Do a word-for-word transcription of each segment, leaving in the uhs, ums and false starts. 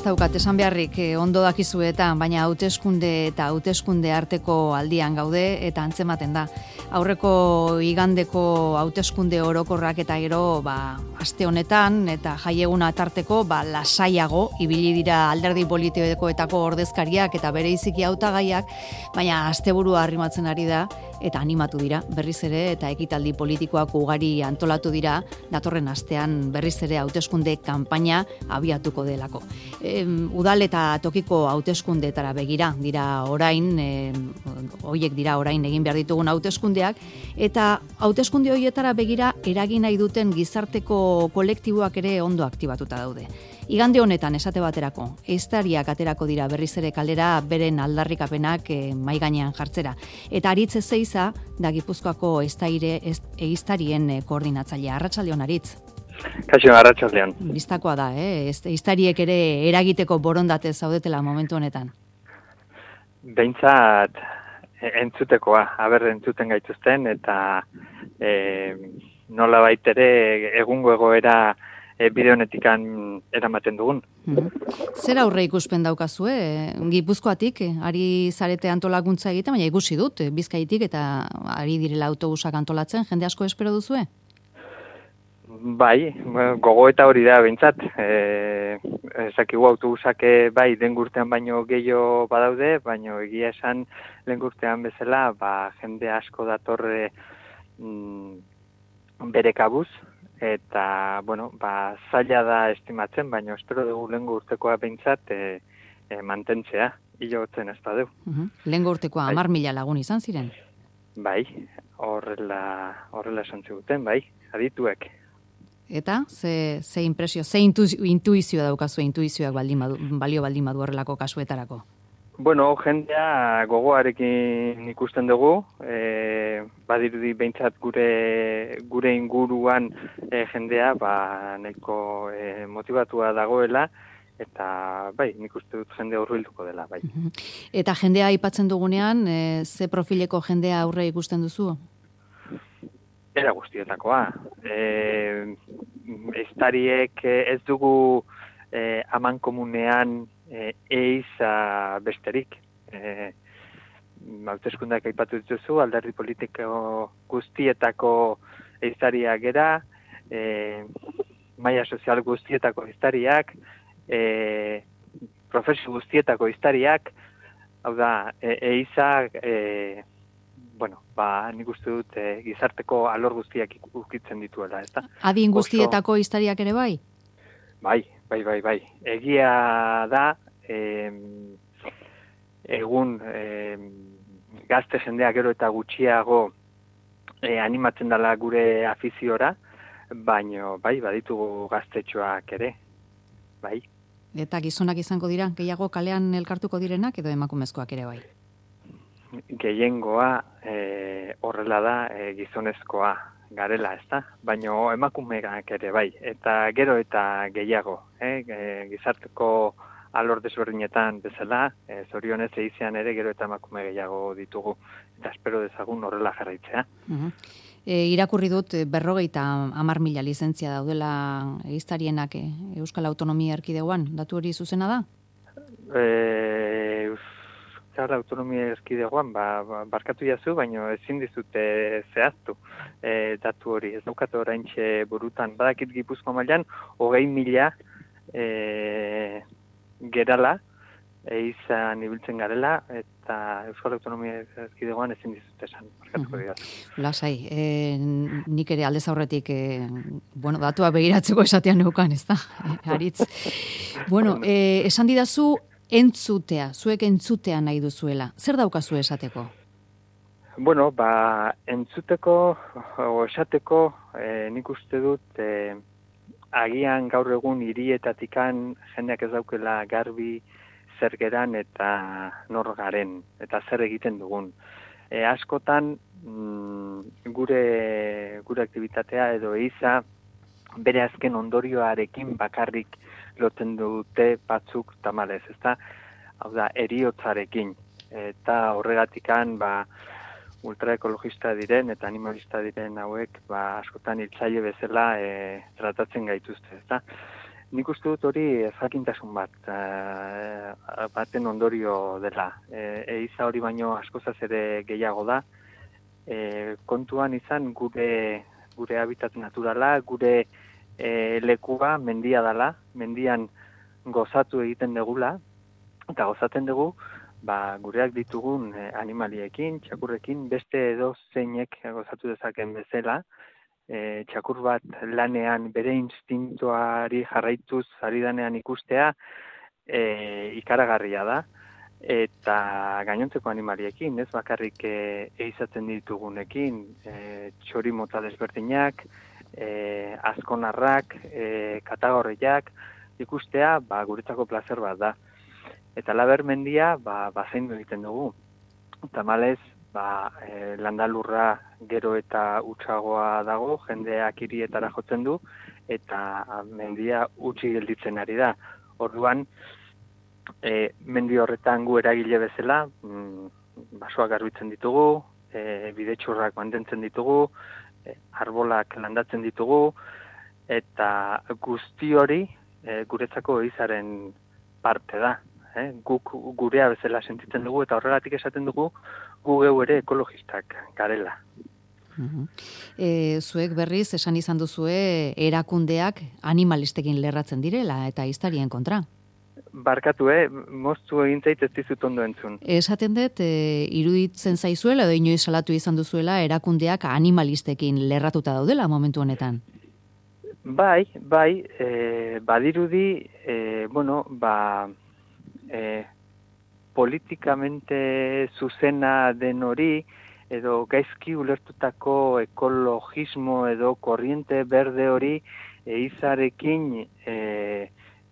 daukat esan beharrik eh, ondo dakizuetan, baina hauteskunde eta hauteskunde arteko aldian gaude eta antzematen da. Aurreko igandeko hauteskunde orokorrak eta gero ba, aste honetan eta jaieguna tarteko ba, lasaiago ibili dira alderdi politikoetako ordezkariak eta bereiziki hautagaiak, baina asteburua arrimatzen ari da eta animatu dira berriz ere eta ekitaldi politikoak ugari antolatu dira datorren astean berriz ere hauteskunde kanpaina abiatuko delako. E, udal eta tokiko hauteskundeetara begira dira orain, e, hoiek dira orain egin behar ditugun hauteskundeak eta hauteskunde horietara begira eragin nahi duten gizarteko kolektiboak ere ondo aktibatuta daude. Igande honetan esate baterako, ehiztariak aterako dira berriz ere kalera beren aldarrikapenak e, mai gainean jartzera. Eta Aritz Ezeiza da Gipuzkoako ehiztarien e, koordinatzailea. Arratsaldeon Aritz. Kaixo, arratsaldeon. Bistakoa da, eh? Ehiztariek ere eragiteko borondate zaudetela momentu honetan. Behintzat entzutekoa, aber entzuten gaituzten eta e, nola baitere egungo egoera E, bide honetikan eramaten dugun. Mm-hmm. Zer aurre ikuspen daukazue? Gipuzkoatik, ari zarete antolakuntza egiten, baina ikusi dut, Bizkaitik eta ari direla autobusak antolatzen, jende asko espero duzue? Bai, gogo eta hori da behintzat. E, esakigu autobusak bai dengurtean baino gehiago badaude, baino egia esan lehengurtean bezala, ba, jende asko datorre mm, bere kabuz, eta, bueno, ba, zaila da estimatzen, baina espero dugu lehengo urtekoa behintzat e, e, mantentzea, hilotzen ez badu. Uh-huh. Lehengo urtekoa bai. Amar mila lagun izan ziren? Bai, horrela, horrela esan ziguten, bai, adituek. Eta, ze, ze impresio, ze intu, intuizioa daukazu, intuizioak baldin badu, balio baldin badu horrelako kasuetarako? Bueno, jendea gogoarekin ikusten dugu, e, badirudi behintzat gure, gure inguruan e, jendea ba, nahiko e, motivatua dagoela, eta bai, nik uste dut jendea hurbilduko dela, bai. Eta jendea aipatzen dugunean, e, ze profileko jendea aurre ikusten duzu? Era guztietakoa. E, Ehiztariek ez dugu e, aman komunean E, eiza besterik. E, hauteskundeak aipatu dituzu, alderdi politiko guztietako ehiztariak gera, e, maila sozial guztietako ehiztariak, e, profesio guztietako ehiztariak, hau da, e, eizak, e, bueno, ba, nik uste dut e, gizarteko alor guztiak ukitzen dituela, ezta? Adin guztietako ehiztariak ere bai? Bai, bai, bai, bai. Egia da, eh, egun eh, gazte jendea gero eta gutxiago eh, animatzen dela gure afiziora, baino, bai, baditugu gaztetxoak ere, bai. Eta gizonak izango dira, gehiago kalean elkartuko direnak edo emakumezkoak ere bai? Gehiengoa eh, horrela da eh, gizonezkoa garela, ezta? Baino emakumeak ere bai, eta gero eta gehiago, eh? E, gizarteko alor desberdinetan bezala, e, zorionez eizean ere gero eta emakume gehiago ditugu, eta espero dezagun horrela jarraitzea. Uh-huh. E, irakurri dut berrogeita hamar mila lizentzia daudela ehiztarienak e, Euskal Autonomia Erkidegoan, datu hori zuzena da? E, Euskal Autonomia Erkidegoan, ba, ba, barkatu jazu, baina ezin dizute zehaztu e, datu hori. Ez daukate oraintxe burutan, badakit Gipuzkoa mailan, hogei mila e, gerala, eizan ibiltzen garela, eta Euskal Autonomia Erkidegoan ezin dizute esan, barkatuko dira. Lasai, e, nik ere aldez aurretik, e, bueno, datua begiratzeko esatean neukan, ez da, Aritz. Bueno, e, esan didazu, entzutea, zuek entzutea nahi duzuela. Zer daukazu esateko? Bueno, ba, entzuteko, o esateko, e, nik uste dut, e, agian gaur egun hirietatikan jendeak ez daukela garbi zer geran eta nor garen, eta zer egiten dugun. E, askotan, mm, gure, gure aktivitatea edo eiza, bere azken ondorioarekin bakarrik lotzen dute batzuk tamalez, ezta? Hau da, eriotzarekin. Eta horregatikan, ba, ultraekologista diren eta animalista diren hauek, ba, askotan hiltzaile bezala e, tratatzen gaituzte, ezta? nik uste dut hori jakintasun bat, uh, baten ondorio dela. E, eiza hori baino askozaz ere gehiago da, e, kontuan izan gure, gure habitat naturala, gure e, lekua mendia dela, mendian gozatu egiten degula, eta gozatzen dugu, ba, gureak ditugun eh, animaliekin, txakurrekin, beste edo zeinek gozatu dezaken bezala, e, txakur bat lanean bere instintuari jarraituz ari danean ikustea e, ikaragarria da, eta gainontzeko animaliekin, ez bakarrik e, eizatzen ditugunekin, e, txori mota desberdinak, e, azkonarrak, e, katagorriak, ikustea ba, guretzako plazer bat da. Eta laber mendia, ba, bazaindu egiten dugu. Tamalez, ba, e, landalurra gero eta utxagoa dago, jendeak hirietara jotzen du, eta mendia utzi gelditzen ari da. Orduan, e, mendi horretan gu eragile bezala, mm, basoak garbitzen ditugu, e, bidetxurrak mantentzen ditugu, e, arbolak landatzen ditugu, eta guzti hori e, guretzako izaren parte da. Eh? Guk gurea bezala sentitzen dugu eta horregatik esaten dugu gu geu ere ekologistak garela. Uh-huh. E, zuek berriz esan izan duzue erakundeak animalistekin lerratzen direla eta iztarien kontra. Barkatu, eh? Moztu egin zait ez dizut ondo entzun. Esaten dut, e, iruditzen zaizuela edo inoiz salatu izan duzuela erakundeak animalistekin lerratuta daudela momentu honetan. Bai, bai, e, badirudi, e, bueno, ba... E, politikamente zuzena den hori, edo gaizki ulertutako ekologismo edo korriente berde hori eizarekin e,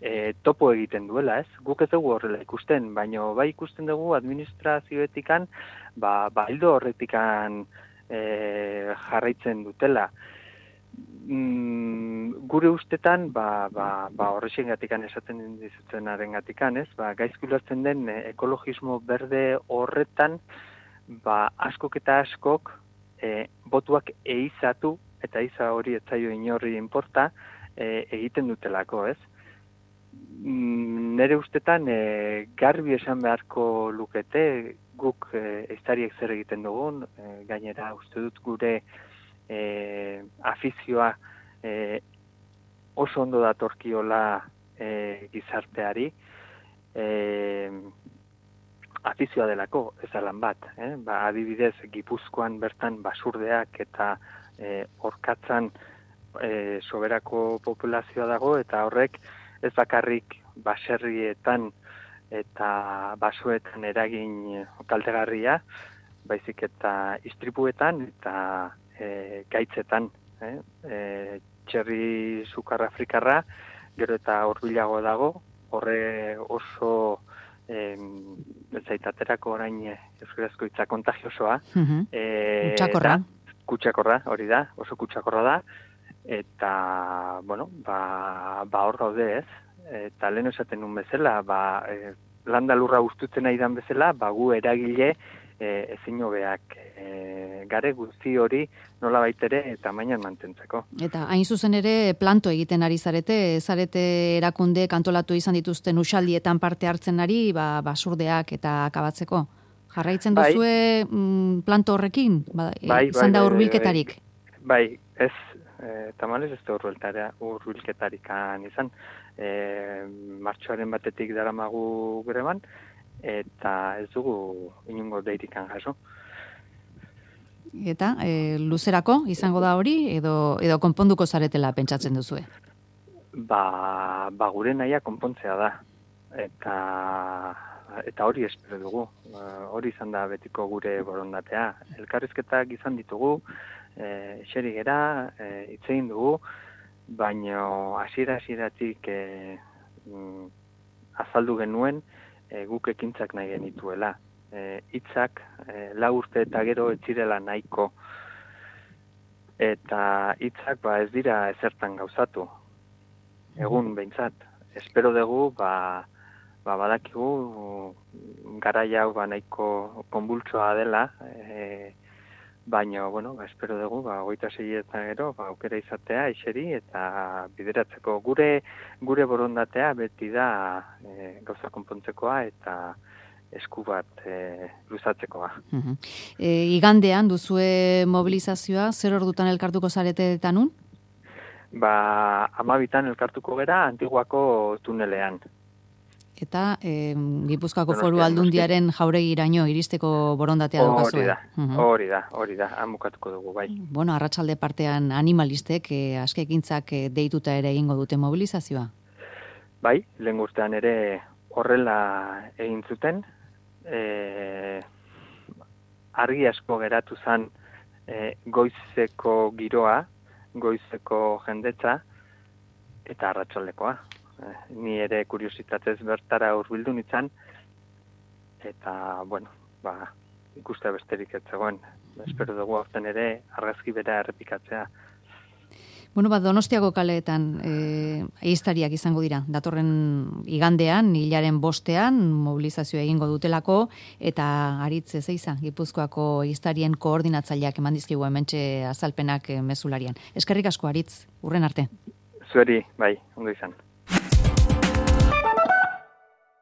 e, topo egiten duela, ez? Guk ez dugu horrela ikusten, baina bai ikusten dugu administrazioetikan, ba, ba hildo horretikan e, jarraitzen dutela. Mm, gure ustetan, ba, ba, ba horrexen gatikan esaten dizutzenaren gatikan, ez? Ba, gaizki ulertzen den e, ekologismo berde horretan, ba, askok eta askok e, botuak eizatu, eta eiza hori etzaio inorri inporta, e, egiten dutelako, ez? Mm, nere ustetan, e, garbi esan beharko lukete, guk e, eiztariek zer egiten dugun, e, gainera uste dut gure E, afizioa e, oso ondo datorkiola e, gizarteari, e, afizioa delako, ez alan bat. Eh? Ba, adibidez, Gipuzkoan bertan basurdeak eta e, orkatzan e, soberako populazioa dago, eta horrek ez bakarrik baserrietan eta basoetan eragin kaltegarria, baizik eta istripuetan eta E, gaitzetan, eh? e, txerri sukar afrikarra, gero eta horbilago dago, horre oso e, zaitaterako orain euskarazko hitza kontagiosoa. Uh-huh. e, Kutsakorra. Kutsakorra, hori da, oso kutsakorra da, eta, bueno, ba, ba hor gaude ez, eta lehen esaten nun bezala, ba, e, landalurra ustutzen nahi dan bezala, ba gu eragile E, ezin hobeak e, gare guzti hori nola baitere eta mainan mantentzeko. Eta hain zuzen ere planto egiten ari zarete, zarete erakunde kantolatu izan dituzten usaldietan parte hartzen ari, ba, basurdeak eta akabatzeko. Jarraitzen bai. duzue mm, planto horrekin? Ba, bai, izan bai, da bai, hurbilketarik? Bai, bai, ez, e, tamalez ez da hurbilketarikan izan. E, martxoaren batetik daramagu greban, eta ez dugu inungo deirikan jaso. Eta e, luzerako izango da hori edo edo konponduko zaretela pentsatzen duzue? Ba, ba gure nahia konpontzea da. Eta eta hori espero dugu. Hori izan da betiko gure borondatea. Elkarrizketak izan ditugu, eh xeri gera, eh hitzein dugu, baino hasiera hasieratik eh azaldu genuen E, guk ekintzak nahi genituela. E, hitzak e, lau urte eta gero ez zirela nahiko. Eta hitzak ba ez dira ezertan gauzatu. Egun behintzat. Espero dugu ba, ba badakigu garai hau ba nahiko konbultsoa dela, e, baina, bueno, ba, espero dugu, ba, hogeita seietan gero, ba, aukera izatea, iseri, eta bideratzeko gure gure borondatea beti da e, gauza konpontzekoa eta esku bat e, luzatzekoa. Uh-huh. E, igandean duzue mobilizazioa, zer ordutan elkartuko zarete eta nun? Ba, amabitan elkartuko gera Antiguako tunelean. Eta e, Gipuzkoako Foru Aldundiaren jauregiraino iristeko borondatea daukazue. Hori da, hori da, hori da, amukatuko dugu, bai. Bueno, arratsalde partean animalistek e, askekintzak e, deituta ere egingo dute mobilizazioa? Bai, lehen urtean ere horrela egin zuten, e, argi asko geratu zen e, goizeko giroa, goizeko jendetza, eta arratsaldekoa. Ni ere kuriositatez bertara hurbildu nintzen, eta, bueno, ba, ikuste besterik ez zegoen. Espero dugu aurten ere argazki bera errepikatzea. Bueno, bat Donostiako kaleetan e, ehiztariak izango dira. Datorren igandean, hilaren bostean, mobilizazioa egingo dutelako, eta Aritz Ezeiza, Gipuzkoako ehiztarien koordinatzaileak eman dizkigu hementxe azalpenak mezularian. Eskerrik asko, Aritz, urren arte. Zueri, bai, ondo izan.